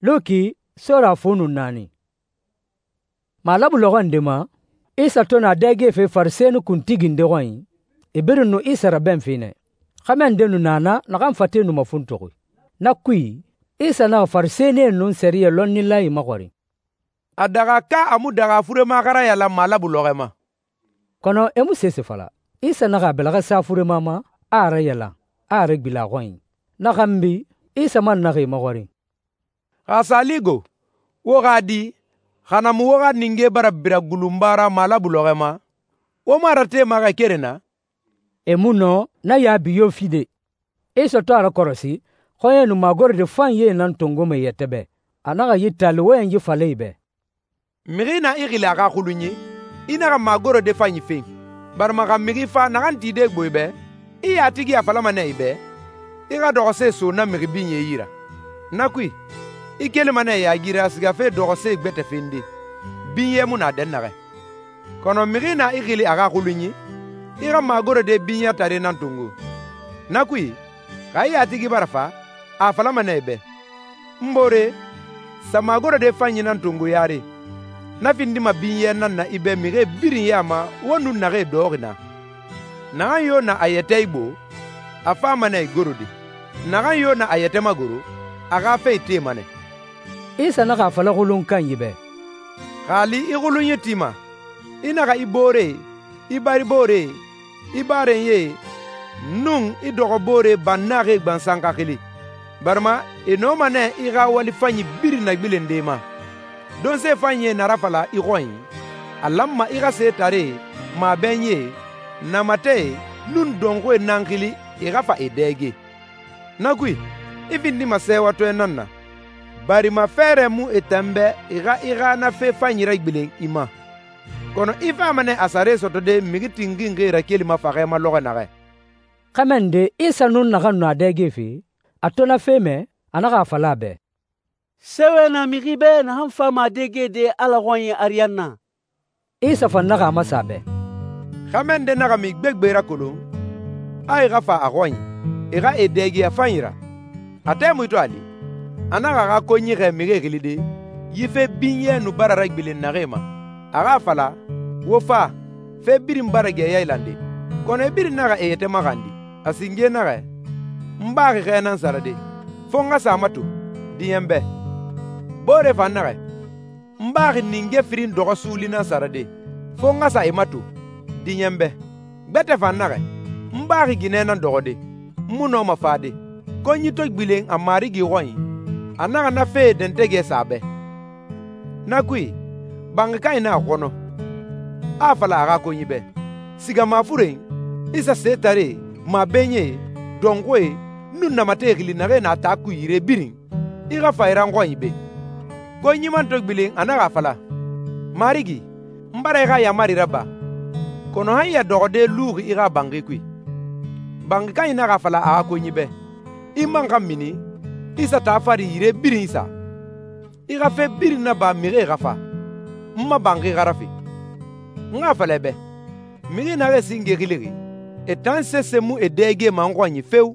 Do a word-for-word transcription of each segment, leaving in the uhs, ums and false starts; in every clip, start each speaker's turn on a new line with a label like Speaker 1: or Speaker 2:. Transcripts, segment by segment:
Speaker 1: Luki sura fu nun naani. Malabu lɔxɔ nde ma, Isa to na dɛgefe Farisɛni kuntigi nde xɔnyi, e birin nu Isa rabɛnfe nɛ. Xɛmɛ nde nu na na naxan fate nu mafuntuxi. Na kui, Isa naxa Farisɛnie nun sɛriyɛ lɔnnilae maxɔrin, «A daxa ka a mu daxa furema xa rayalan malabu lɔxɔɛ ma?» Kɔnɔ e mu sese fala. Isa naxa a bɛlɛxɛ sa furema ma, a a rayalan, a a regbilen a xɔnyi. Na xanbi, Isa man naxa e maxɔrin, «Xa a sa li go, wo xa di, xa na mu wo xa ninge bara bira gulunba ra malabu lɔxɔɛ ma, wo mu a ratema xɛ keren na?» E mu nɔ na yaabi yo fide. Isa to a rakɔrɔsi, xɔɲɛ nu magorode fanyie nan tongoma e yɛtɛ bɛ. A naxa yi taali wɔyɛnyi fala e bɛ, «Mixi na i xili a xa xulunyi, i naxa magorode fanyi fen, barima xa mixi fa naxan tide gbo i bɛ, i yatigi a falama nɛ i bɛ, i xa dɔxɔse so na mixi binyɛ yi ra. Na kui, i kelima nɛ yaagiri a sigafe dɔxɔse gbɛtɛ fende, binyɛ mu na dɛnnaxɛ. Kɔnɔ mixi na i xili a xa xulunyi, i xa magorode binyɛtare nan tongo. Na kui, xa i yatigi bara fa, a falama nɛ i bɛ, ‹N boore, sa magorode fanyi nan tongo yare.› Na findima binyɛ nan na i bɛ mixie birin ya ma wo nun naxee dɔxɔxi na. Naxan yo na a yɛtɛ igbo, a fama nɛ igorode. Naxan yo na a yɛtɛ magoro, a xa fe itema nɛ.» Isa naxa a fala xulun kanyi bɛ, «Xa a li i xulunyi tima, i naxa i boore, i bari boore, i barenyie, nun i dɔxɔ boore bannaxie gbansan xa xili, barima e nɔma nɛ i xa wali fanyi birin nagbilende ma. Donse fanyie na rafala i xɔnyi, a lanma i xa setaree, mabɛnyie, namatɛe, nun dɔnxuie nan xili i xa fa e dɛge. Na kui, i findima sɛɛwatɔɛ nan na, barima fɛɛrɛ mu e tan bɛ i xa i xa na fe fanyi ragbilen i ma. Kɔnɔ i fama nɛ a sare sɔtɔde mixi tinxinxie rakelima faxɛ ma lɔxɔɛ naxɛ.» Xɛmɛ nde Isa nun naxan nu a dɛgefe, a to na fe mɛ, a naxa a fala a bɛ, «Sɛwɛ na mixi bɛ naxan fama a dɛgede Ala xɔnyi ariyanna.» Isa fan naxa a masen a bɛ, «Xɛmɛ nde naxa min gbegbe rakolon, a i xa fa a xɔnyi, e xa e dɛge a fanyi ra. A tɛmui to a li, a naxa a xa konyi xɛɛ mixie xilide, yi fe binyɛ nu bara ragbilen naxee ma. A xa a fala, ‹Wo fa, fe birin bara gɛ yailande.› Kɔnɔ e birin naxa e yɛtɛ maxandi. A singe naxɛ, ‹N baxi xɛ nan sarade, fo n xa sa a mato, diɲɛ bɛ.› Boore fan naxɛ, ‹N baxi ninge firin dɔxɔ suuli nan sarade, fo n xa sa e mato, diɲɛ bɛ.› Gbɛtɛ fan naxɛ, ‹N baxi ginɛ nan dɔxɔde, n mu nɔma fade.› Konyi to gbilen a marigi xɔnyi, a naxa na fee dɛntɛgɛ sa a bɛ. Na kui, banxi kanyi na a xɔnɔ, a a fala a xa konyi bɛ, ‹Siga mafuren, i sa setaree, mabɛnyie, dɔnxuie, nun namatɛe xili naxee na taa kui yire birin, i xa fa i ra n xɔnyi be.› Konyi man to gbilen a naxa a fala, ‹Marigi, n bara i xa yaamari raba, kɔnɔ han ya dɔxɔde luxi i xa banxi kui.› Banxi kanyi naxa a fala a xa konyi bɛ, ‹I man xa mini, i sa taa fari yire birin sa. I xa fe birin naba mixie xa fa, n ma banxi xa rafe.› N xa a fala i bɛ, mixi naxee singe xilixi, e tan sese mu e dɛgema n xɔnyi feo.»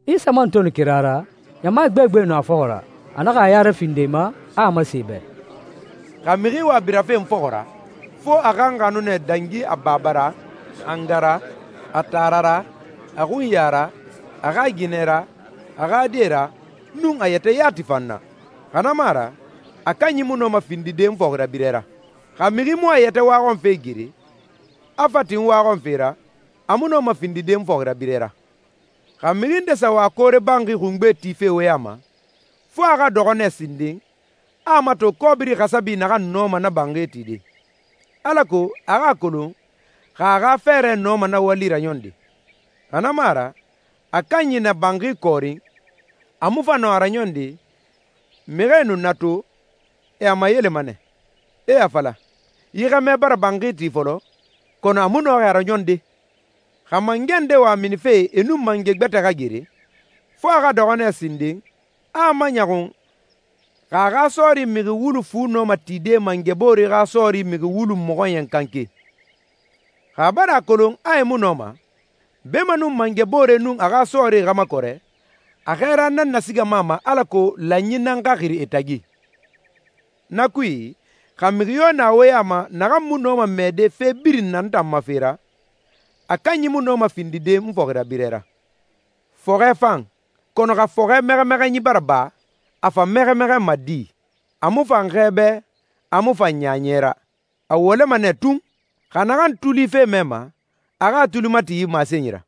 Speaker 1: Isa man to nu kira ra, ɲama gbegbe nu a fɔxɔ ra. A naxa a ya rafinde e ma, a a masen e bɛ, «Xa mixi wa birafe n fɔxɔ ra, fo a xa n xanu nɛ dangi a baba ra, a nga ra, a taara ra, a xunya ra, a xa ginɛ ra, a xa die ra, nun a yɛtɛ yati fan na. Xa na mu a ra, a kanyi mu nɔma findide n fɔxirabirɛ ra. Xa mixi mu a yɛtɛ waxɔnfe gere, a fa tin waxɔnfe ra, a mu nɔma findide n fɔxirabirɛ ra. Xa mixi nde sa wa koore banxi xungbe tife wo ya ma, fo a xa dɔxɔ nɛ sinden, a a mato kɔbiri xasabi naxan nɔma na banxi tide, alako a xa a kolon xa a xa fɛɛrɛ nɔma na wali raɲɔnde. Xa na mu a ra, a kanyi na banxi kɔɔrin, a mu fa nɔ a raɲɔnde, mixie nu na to, e a mayelema nɛ, e a fala, yi xɛmɛ bara banxi ti fɔlɔ, kɔnɔ a mu nɔxi a raɲɔnde. Xa mangɛ nde wa minife e nun mangɛ gbɛtɛ xa gere, fo a xa dɔxɔ nɛ sinden, a a maɲɔxun xa a xa sɔɔri mixi wulu fu nɔma tide mangɛ boore xa sɔɔri mixi wulu mɔxɔɲɛn kanke. Xa a bara a kolon a e mu nɔma, beemanun mangɛ boore nun a xa sɔɔri xa makɔrɛ,
Speaker 2: A xɛɛra nan nasigama a ma alako lanyi nan xa xiri e tagi. Na kui, xa mixi yo na wo ya ma naxan mu nɔma mɛɛde fe birin na n tan ma fe ra, a kanyi mu nɔma findide n fɔxirabirɛ ra. Fɔxɛ fan, kɔnɔ xa fɔxɛ mɛxɛmɛxɛnyi bara ba, a fa mɛxɛmɛxɛnma di, a mu fan xɛɛbɛ, a mu fan ɲaaɲɛ ra. A wɔlɛma nɛ tun. Xa naxan tuli fe mɛma, a xa a tuli mati yi masenyi ra.»